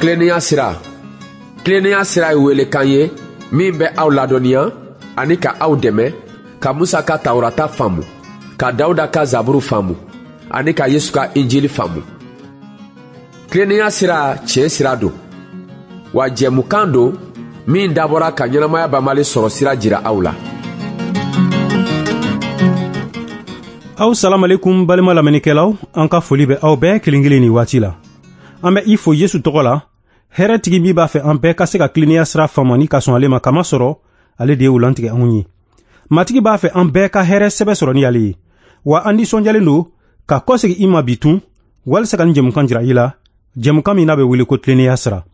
Tilennenya sira. Tilennenya sira ye welekan ye min bɛ aw ladɔnniya ani ka aw dɛmɛ ka Musa ka Tawurata faamu, ka Dawuda ka Zaburu faamu ani ka Yesu ka Injili faamu. Tilennenya sira tiɲɛ sira don, wa jɛmukan don min dabɔra ka ɲɛnamaya banbali sɔrɔ sira jira aw la. Aw salamalekum balima lamɛnnikɛlaw, an ka foli bɛ aw bɛɛ kelen kelen nin waati la. An bɛ i fo Yesu tɔgɔ la, hɛrɛtigi min b'a fɛ an bɛɛ ka se ka tilennenya sira faamu ani ka sɔn ale ma, kamasɔrɔ ale de ye o lantigɛ anw ye. Matigi b'a fɛ an bɛɛ ka hɛrɛ sɛbɛ sɔrɔ ni ale ye. Wa an nisɔndiyalen don ka kɔsegin i ma bi tun, walisa ka nin jɛmukan jira i la, jɛmukan min n'a bɛ wele ko tilennenya sira.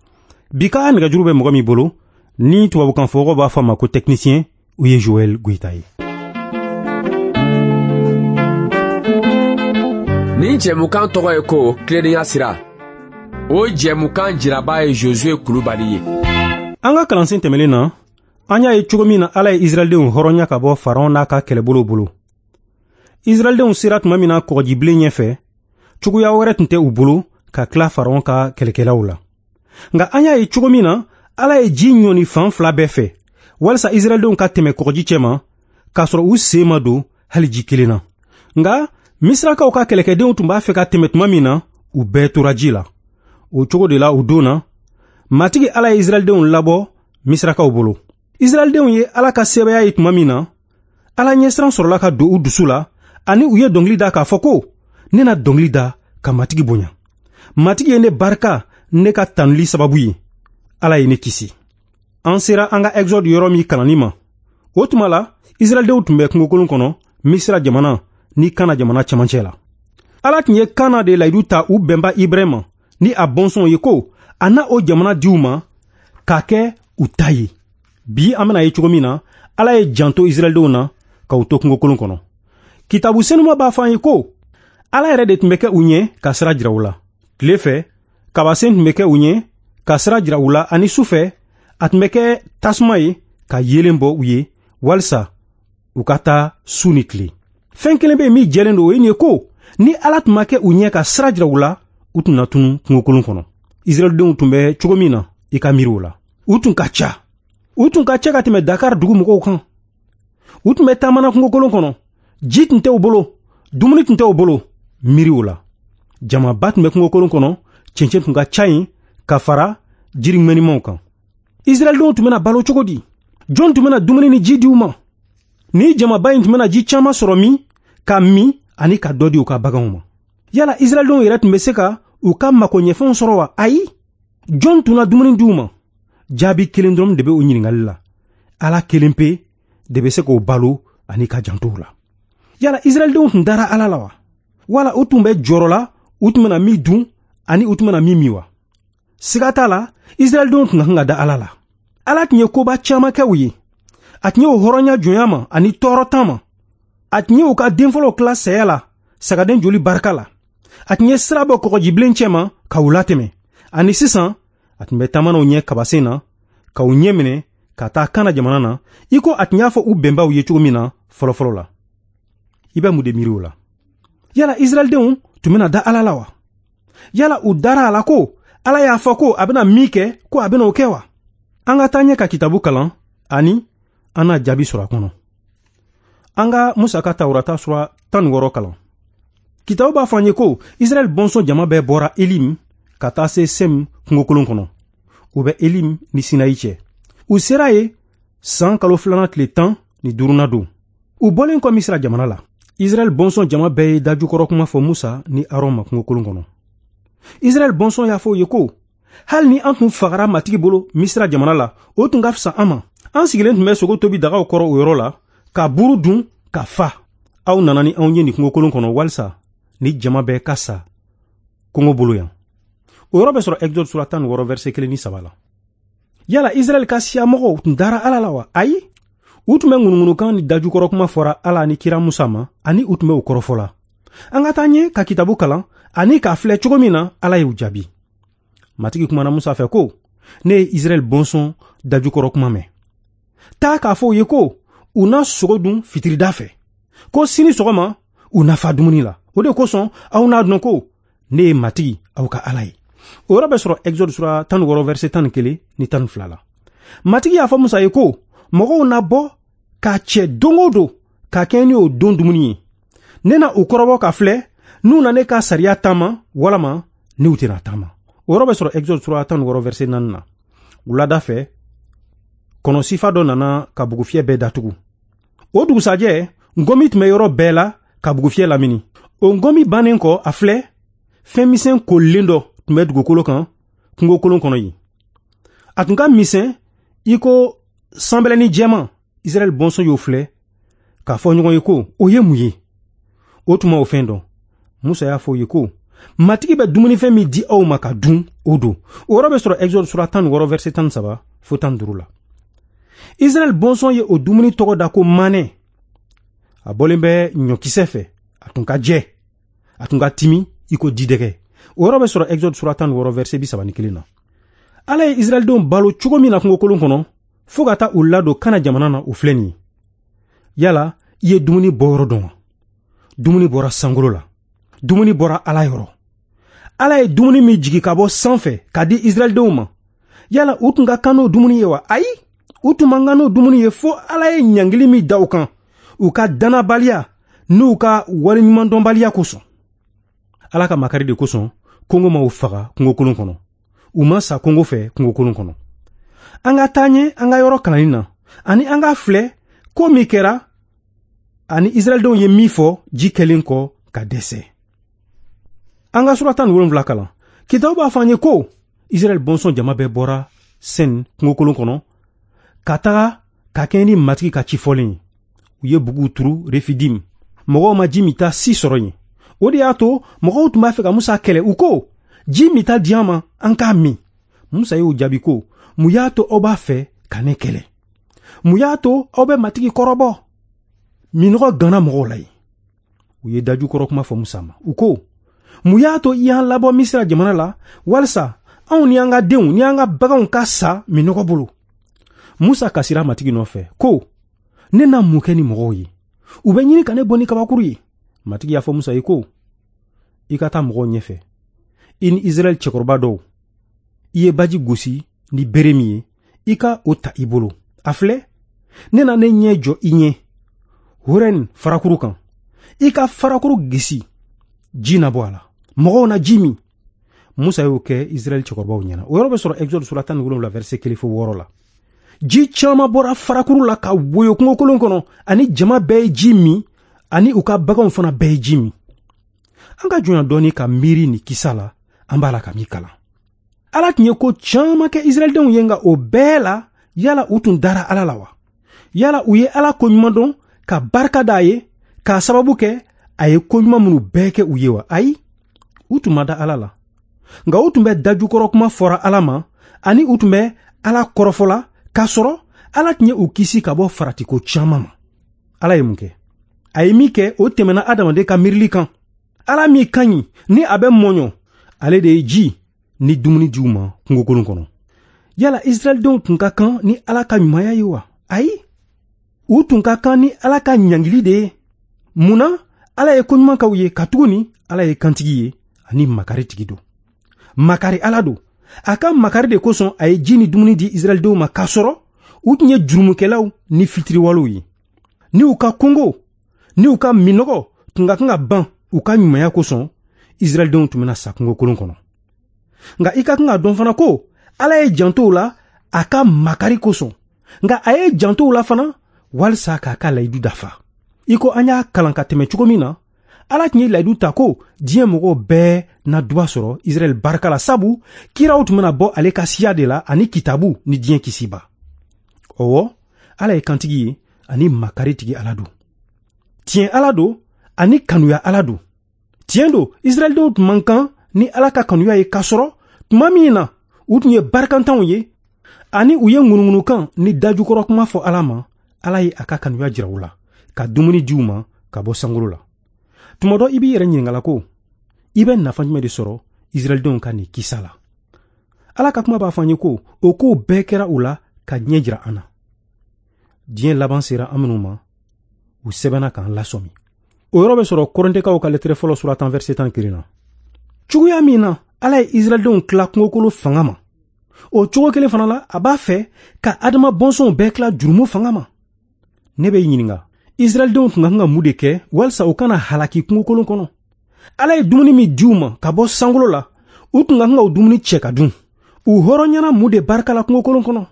Bi ka nɛgɛjuru bɛ mɔgɔ min bolo, ni tubabukan fɔmɔgɔw b'a fɔ a ma ko technicien, o ye Joël Goïta ye. Nin jɛmukan tɔgɔ ye ko tilennenya sira. O jɛmukan jiraba ye Josue Kulubali ye. An ka kalansen tɛmɛnen na, an y'a ye cogo min na Ala ye Israɛldenw hɔrɔnya ka bɔ Faraon n'a ka kɛlɛbolo bolo. Israɛldenw sera tuma min na kɔgɔjibilen ɲɛfɛ, cogoya wɛrɛ tun tɛ u bolo ka tila Faraon ka kɛlɛkɛlaw la. Nka an y'a ye cogo min na Ala ye ji ɲɔni fan fila bɛɛ fɛ, walisa Israɛldenw ka tɛmɛ kɔgɔji cɛma, k'a sɔrɔ u sen ma don hali ji kelen na. Nka Misirakaw ka kɛlɛkɛdenw tun b'a fɛ ka tɛmɛ tuma min na, u bɛɛ tora ji la. O cogo de la o don na, Matigi Ala ye Israɛldenw labɔ Misirakaw bolo. Israɛldenw ye Ala ka sɛbɛya ye tuma min na, Ala ɲɛsiran sɔrɔla ka don u dusu la, ani u ye dɔnkili da k'a fɔ ko, ne na dɔnkili da ka Matigi bonya. Matigi ye ne barika ne ka tanuli sababu ye. Ala ye ne kisi. An sera an ka Exode yɔrɔ min kalanni ma, o tuma la Israɛldenw tun bɛ kungokolon kɔnɔ Misira jamana ni Kana jamana cɛmancɛ la. Ala tun ye Kana de layidu ta u bɛnba Ibrahima ni a bɔnsɔnw ye ko a na o jamana di u ma k'a kɛ u ta ye. Bi an bɛna ye cogo min na, Ala ye janto Israɛldenw na ka u to kungokolon kɔnɔ. Kitabu senuma b'a fɔ an ye ko Ala yɛrɛ de tun bɛ kɛ u ɲɛ ka sira jira u la. Tile fɛ, kabasen tun bɛ kɛ u ɲɛ ka sira jira u la, ani su fɛ, a tun bɛ kɛ tasuma ye ka yeelen bɔ u ye walisa u ka taa su ni tile. Fɛn kelen bɛ yen min jɛlen don, o ye nin ye ko ni Ala tun ma kɛ u ɲɛ ka sira jira u la, u tun na tunu kungokolon kɔnɔ. Israɛldenw tun bɛ cogo min na, i ka miiri o la. U tun ka ca. U tun ka ca ka tɛmɛ Dakar dugu mɔgɔw kan. U tun bɛ taamana kungokolon kɔnɔ. Ji tun tɛ u bolo, dumuni tun tɛ u bolo, miiri o la. Jamaba tun bɛ kungokolon kɔnɔ, cɛncɛn tun ka ca yen ka fara jiri ŋɛnimanw kan. Israɛldenw tun bɛna balo cogo di? Jɔn tun bɛna dumuni ni ji di u ma? Ni jamaba in tun bɛna ji caman sɔrɔ min ka min ani ka dɔ di u ka baganw ma. Yala Israɛldenw yɛrɛ tun bɛ se ka u ka makoɲɛfɛnw sɔrɔ wa? Ayi. Jɔn tun na dumuni di u ma? Jaabi kelen dɔrɔn de bɛ o ɲininkali la. Ala kelen pe de bɛ se k'o balo ani ka janto u la. Yala Israɛldenw tun dara Ala la wa? Wala u tun bɛ jɔrɔ la u tun bɛna min dun ani u tun bɛna min min wa? Siga t'a la, Israɛldenw tun ka kan ka da Ala la. Ala tun ye koba caman kɛ u ye. A tun ye u hɔrɔnya jɔnya ma ani tɔɔrɔtan ma. A tun ye u ka denfɔlɔw tila saya la sagaden joli barika la. A tun ye sira bɔ kɔgɔjibilen cɛma ka u latɛmɛ. Ani sisan, a tun bɛ taamana u ɲɛ kabasen na, ka u ɲɛ minɛ ka taa Kana jamana na, i ko a tun y'a fɔ u bɛnbaw ye cogo min na fɔlɔfɔlɔ la. I bɛ mun de miiri o la? Yala Israɛldenw tun bɛna da Ala la wa? Yala u dara a la ko Ala y'a fɔ ko a bɛna min kɛ, ko a bɛna o kɛ wa? An ka taa ɲɛ ka kitabu kalan ani an n'a jaabi sɔrɔ a kɔnɔ. An ka Musa ka Tawurata sura 16 kalan. Kitabu b'a fɔ an ye ko Israɛl bɔnsɔn jama bɛɛ bɔra Elim ka taa se Sem kungokolon kɔnɔ. U bɛ Elim ni Sinayi cɛ. U sera yen san kalo filanan tile 15nan don. U bɔlen kɔ Misira jamana la, Israɛl bɔnsɔn jama bɛɛ ye dajukɔrɔ kuma fɔ Musa ni Aron ma kungokolon kɔnɔ. Israɛl bɔnsɔn y'a fɔ u ye ko, hali ni an tun fagara Matigi bolo Misira jamana la, o tun ka fisa an ma. An sigilen tun bɛ sogo tobi dagaw kɔrɔ o yɔrɔ la, ka buru dun ka fa. Aw nana ni anw ye nin kungokolon kɔnɔ walisa ni jama bɛɛ ka sa kɔngɔ bolo yan. O yɔrɔ bɛ sɔrɔ Exode sura 16 verset 1 ni 3 la. Yala Israɛl ka siyamɔgɔw tun dara Ala la wa? Ayi. U tun bɛ ŋunuŋunukan ni dajukɔrɔ kuma fɔra Ala ni kira Musa ma, ani u tun bɛ u kɔrɔfɔ la. An ka taa ɲɛ ka kitabu kalan ani k'a filɛ cogo min na Ala y'u jaabi. Matigi kumana Musa fɛ ko, ne ye Israɛl bɔnsɔn dajukɔrɔ kuma mɛn. Taa k'a fɔ u ye ko u na sogo dun fitirida fɛ, ko sini sɔgɔma u na fa dumuni la. O de kosɔn aw n'a dɔn ko ne ye Matigi aw ka Ala ye. O yɔrɔ bɛ sɔrɔ Exode sura 16 verset 11 ni 12 la. Matigi y'a fɔ Musa ye ko mɔgɔw na bɔ k'a cɛ don o don k'a kɛ ni o don dumuni ye. Ne na u kɔrɔbɔ ka filɛ n'u na ne ka sariya taama walama n'u tɛna taama. O yɔrɔ bɛ sɔrɔ Exode sura 16 verset 4 na. Wulada fɛ, kɔnɔ sifa dɔ nana ka bugufiyɛ bɛɛ datugu. O dugusajɛ, ngɔmi tun bɛ yɔrɔ bɛɛ la ka bugufiyɛ lamini. O ngɔmi bannen kɔ, a filɛ, fɛn misɛn kolilen dɔ tun bɛ dugukolo kan kungokolon kɔnɔ yen. A tun ka misɛn i ko sanbɛlɛnin jɛman. Israɛl bɔnsɔn y'o filɛ k'a fɔ ɲɔgɔn ye ko o ye mun ye? O tuma o fɛn dɔn. Musa y'a fɔ u ye ko Matigi bɛ dumunifɛn min di aw ma ka dun, o don. O yɔrɔ bɛ sɔrɔ Exode sura 16 verset 13 fo 15 la. Israɛl bɔnsɔn ye o dumuni tɔgɔ da ko manɛ. A bɔlen bɛ ɲɔkisɛ fɛ, a tun ka jɛ, a tun ka timi i ko jidɛgɛ. O yɔrɔ bɛ sɔrɔ Exode sura 16 verset 31 na. Ala ye Israɛldenw balo cogo min na kungokolon kɔnɔ fo ka taa u ladon Kana jamana na, o filɛ nin ye. Yala i ye dumuni bɔyɔrɔ dɔn wa? Dumuni bɔra sankolo la. Dumuni bɔra Ala yɔrɔ. Ala ye dumuni min jigi ka bɔ sanfɛ ka di Israɛldenw ma, yala u tun ka kan n'o dumuni ye wa? Ayi, u tun man kan n'o dumuni ye fo Ala ye ɲangili min da u kan u ka dannabaliya n'u ka waleɲumandɔnbaliya kosɔn. Ala ka makari de kosɔn kɔngɔ ma u faga kungokolon kɔnɔ. U ma sa kɔngɔ fɛ kungokolon kɔnɔ. An ka taa ɲɛ an ka yɔrɔ kalanni na, ani an ka filɛ ko min kɛra ani Israɛldenw ye min fɔ ji kɛlen kɔ ka dɛsɛ. An ka sura 17 kalan. Kitabu b'a fɔ an ye ko Israɛl bɔnsɔn jama bɛɛ bɔra Sen kungokolon kɔnɔ ka taga ka kɛɲɛ ni Matigi ka ci fɔlen ye. U ye buguw turu Refidim. Mɔgɔw ma ji minta si sɔrɔ yen. O de y'a to mɔgɔw tun b'a fɛ ka Musa kɛlɛ. U ko, ji minta di an ma, an k'a min. Musa y'o jaabi ko, mun y'a to aw b'a fɛ ka ne kɛlɛ? Mun y'a to aw bɛ Matigi kɔrɔbɔ? Minɔgɔ ganna mɔgɔw la yen. U ye dajukɔrɔ kuma fɔ Musa ma. U ko, mun y'a to i y'an labɔ Misira jamana la walisa anw ni an ka denw ni an ka baganw ka sa minɔgɔ bolo? Musa kasira Matigi nɔfɛ ko, ne na mun kɛ ni mɔgɔw ye? U bɛ ɲini ka ne bɔ ni kabakuru ye. Matigi y'a fɔ Musa ye ko, i ka taa mɔgɔw ɲɛfɛ, i ni Israɛl cɛkɔrɔba dɔw. I ye baji gosi ni bere min ye, i ka o ta i bolo. A filɛ, ne na ne ɲɛ jɔ i ɲɛ Horɛn farakuru kan. I ka farakuru gisi, ji na bɔ a la, mɔgɔw na ji min. Musa y'o kɛ Israɛl cɛkɔrɔbaw ɲɛna. O yɔrɔ bɛ sɔrɔ Exode sura 17 verset 1 fo 6 la. Ji caman bɔra farakuru la ka woyo kungokolon kɔnɔ, ani jama bɛɛ ye ji min, ani u ka baganw fana bɛɛ ye ji min. An ka jɔnya dɔɔni ka miiri nin kisa la, an b'a la ka min kalan. Ala tun ye ko caman kɛ Israɛldenw ye, nka o bɛɛ la, yala u tun dara Ala la wa? Yala u ye Ala koɲuman dɔn ka barika d'a ye k'a sababu kɛ a ye koɲuman minnu bɛɛ kɛ u ye wa? Ayi, u tun ma da Ala la. Nka u tun bɛ dajukɔrɔ kuma fɔra Ala ma, ani u tun bɛ Ala kɔrɔfɔ la, k'a sɔrɔ Ala tun ye u kisi ka bɔ faratiko caman ma. Ala ye mun kɛ? A ye min kɛ, o tɛmɛna adamaden ka miirili kan. Ala min ka ɲi ni a bɛ mɔɲɔ, ale de ye ji ni dumuni di u ma kungokolon kɔnɔ. Yala Israɛldenw tun ka kan ni Ala ka ɲumanya ye wa? Ayi, u tun ka kan ni Ala ka ɲangili de ye. Mun na Ala ye koɲuman k'aw ye? Katuguni Ala ye kantigi ye ani makaritigi don. Makari Ala don. A ka makari de kosɔn a ye ji ni dumuni di Israɛldenw ma, k'a sɔrɔ u tun ye jurumukɛlaw ni fitiriwalew ye. Ni u ka kɔngɔ ni u ka minɔgɔ tun ka kan ka ban u ka ɲumanya kosɔn, Israɛldenw tun bɛna sa kungokolon kɔnɔ. Nka i ka kan ka dɔn fana ko Ala ye janto u la a ka makari kosɔn. Nka a ye janto u la fana walisa k'a ka layidu dafa. I ko an y'a kalan ka tɛmɛ cogo min na, Ala tun ye layidu ta ko diɲɛ mɔgɔw bɛɛ na duba sɔrɔ Israɛl barika la, sabu kiraw tun bɛna bɔ ale ka siya de la ani kitabu ni diɲɛ kisiba. Ɔwɔ, Ala ye kantigi ye ani makaritigi Ala don. Tiɲɛ Ala don ani kanuya Ala don. Tiɲɛ don, Israɛldenw tun man kan ni Ala ka kanuya ye, k'a sɔrɔ tuma min na u tun ye barikantanw ye ani u ye ŋunuŋunukan ni dajukɔrɔ kuma fɔ Ala ma, Ala ye a ka kanuya jira u la ka dumuni di u ma ka bɔ sankolo la. Tuma dɔ i b'i yɛrɛ ɲininka ko, i bɛ nafa jumɛn de sɔrɔ Israɛldenw ka nin kisa la? Ala ka kuma b'a fɔ an ye ko o kow bɛɛ kɛra u la ka ɲɛ jira an na. Diɲɛ laban sera an minnu ma, u sɛbɛnna k'an lasɔmi. O yɔrɔ bɛ sɔrɔ Kɔrɛntɛkaw ka lɛtɛrɛ fɔlɔ sura 10 verset 11 na. Cogoya min na Ala ye Israɛldenw tila kungokolo fanga ma, o cogo kelen fana la, a b'a fɛ ka Adama bɔnsɔnw bɛɛ tila jurumu fanga ma. Ne bɛ i ɲininka, Israɛldenw tun ka kan ka mun de kɛ walisa u kana halaki kungokolon kɔnɔ? Ala ye dumuni min di u ma ka bɔ sankolo la, u tun ka kan ka o dumuni cɛ ka dun. U hɔrɔnyana mun de barika la kungokolon kɔnɔ?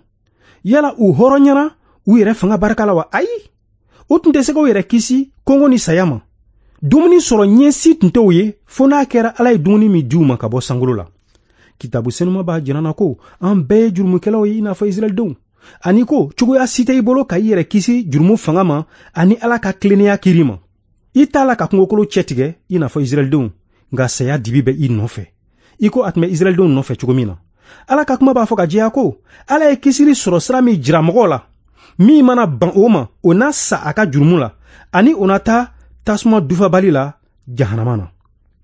Yala u hɔrɔnyana u yɛrɛ fanga barika la wa? Ayi, u tun tɛ se k'u yɛrɛ kisi kɔngɔ ni saya ma. Dumuni sɔrɔ ɲɛsi tun tɛ u ye fo n'a kɛra Ala ye dumuni min di u ma ka bɔ sankolo la. Kitabu senuma b'a jira na ko an bɛɛ ye jurumukɛlaw ye i n'a fɔ Israɛldenw, ani ko cogoya si tɛ i bolo ka i yɛrɛ kisi jurumu fanga ma ani Ala ka tilennenya kiri ma. I t'a la ka kungokolo cɛtigɛ i n'a fɔ Israɛldenw, nka saya dibi bɛ i nɔfɛ, i ko a tun bɛ Israɛldenw nɔfɛ cogo min na. Ala ka kuma b'a fɔ ka jɛya ko Ala ye kisili sɔrɔ sira min jira mɔgɔw la, min mana ban o ma, o na sa a ka jurumu la, ani o na taa tasuma dufabali la jahanama na.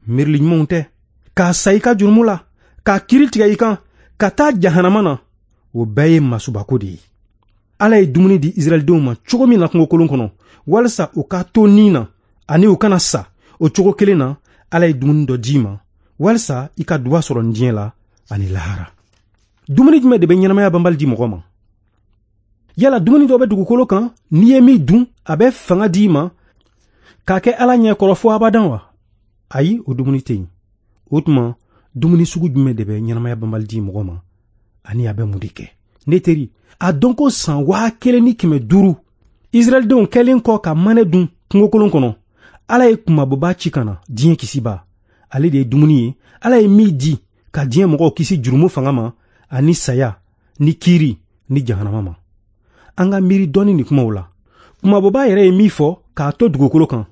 Miirili ɲumanw tɛ k'a sa i ka jurumu la, k'a kiri tigɛ i kan, ka taa jahanama na, o bɛɛ ye masubako de ye. Ala ye dumuni di Israɛldenw ma cogo min na kungokolon kɔnɔ, walisa u ka to ni na ani u kana sa, o cogo kelen na Ala ye dumuni dɔ d'i ma walisa i ka duba sɔrɔ nin diɲɛ la ani lahara. Dumuni jumɛn de bɛ ɲɛnamaya banbali di mɔgɔ ma? Yala dumuni dɔ bɛ dugukolo kan, n'i ye min dun, a bɛ fanga d'i ma k'a kɛ Ala ɲɛ kɔrɔ fo abadan wa? Ayi, o dumuni tɛ yen. O tuma, dumuni sugu jumɛn de bɛ ɲɛnamaya banbali di mɔgɔ ma, ani a bɛ mun de kɛ? Ne teri, a dɔn ko san 1500 Israɛldenw kɛlen kɔ ka manɛ dun kungokolon kɔnɔ, Ala ye kunmabɔba ci ka na diɲɛ kisiba. Ale de ye dumuni ye, Ala ye min di ka diɲɛ mɔgɔw kisi jurumu fanga ma ani saya ni kiiri ni jahanama ma. An ka miiri dɔɔni nin kumaw la. Kunmabɔba yɛrɛ ye min fɔ k'a to dugukolo kan.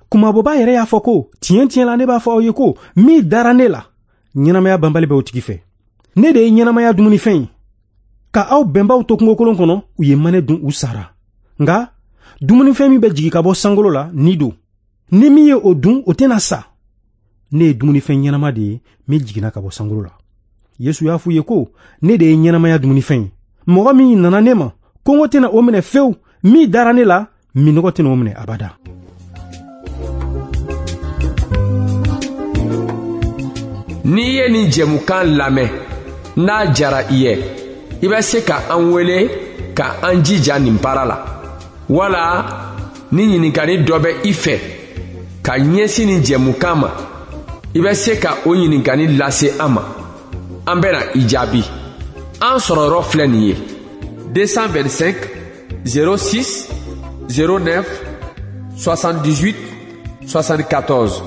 Kunmabɔba yɛrɛ y'a fɔ ko tiɲɛ tiɲɛ la ne b'a fɔ aw ye ko min dara ne la, ɲɛnamaya banbali bɛ o tigi fɛ. Ne de ye ɲɛnamaya dumunifɛn ye. Ka aw bɛnbaw to kungokolon kɔnɔ, u ye manɛ dun, u sara. Nka dumunifɛn min bɛ jigin ka bɔ sankolo la, ni don. Ni min ye o dun, o tɛna sa. Ne ye dumunifɛn ɲɛnama de ye min jiginna ka bɔ sankolo la. Yesu y'a f'u ye ko ne de ye ɲɛnamaya dumunifɛn ye. Mɔgɔ min nana ne ma, kɔngɔ tɛna o minɛ fewu. Min dara ne la, minnɔgɔ tɛna o minɛ abada. N'i ye nin jɛmukan lamɛn, n'a jara i ye, i bɛ se ka an wele ka an jija nin baara la, wala ni ɲininkali dɔ bɛ i fɛ ka ɲɛsin nin jɛmukan ma, i bɛ se ka o ɲininkali lase an ma, an bɛna i jaabi. An sɔrɔyɔrɔ filɛ nin ye: 225 06 09 78 74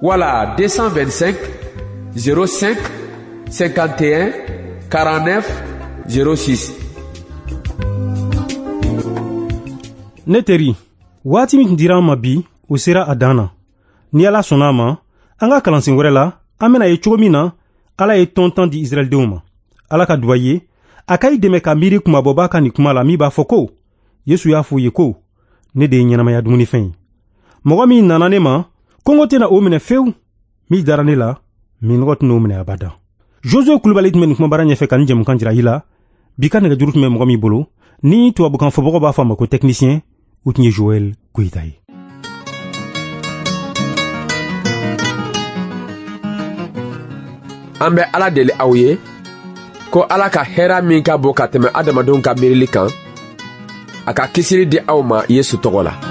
wala 225 05 51 49 06. Ne teri, waati min tun dira an ma bi, o sera a dan na. Ni Ala sɔnna a ma, an ka kalansen wɛrɛ la, an bɛna ye cogo min na Ala ye tɔn tan di Israɛldenw ma. Ala ka duba ye, a ka i dɛmɛ ka miiri kunmabɔba ka nin kuma la min b'a fɔ ko Yesu y'a fɔ u ye ko ne de ye ɲɛnamaya dumunifɛn ye. Mɔgɔ min nana ne ma, kɔngɔ tɛna o minɛ fewu. Min dara ne la, minnɔgɔ tɛna o minɛ abada. Josue Kulubali tun bɛ nin kumabara ɲɛfɛ ka nin jɛmukan jira i la. Bi ka nɛgɛjuru tun bɛ mɔgɔ min bolo, ni tubabukan fɔbagaw b'a fɔ a ma ko technicien, o tun ye Joël Goyita ye. An bɛ Ala deli aw ye ko Ala ka hɛra min ka bon ka tɛmɛ adamadenw ka miirili kan, a ka kisili di aw ma Yesu tɔgɔ la.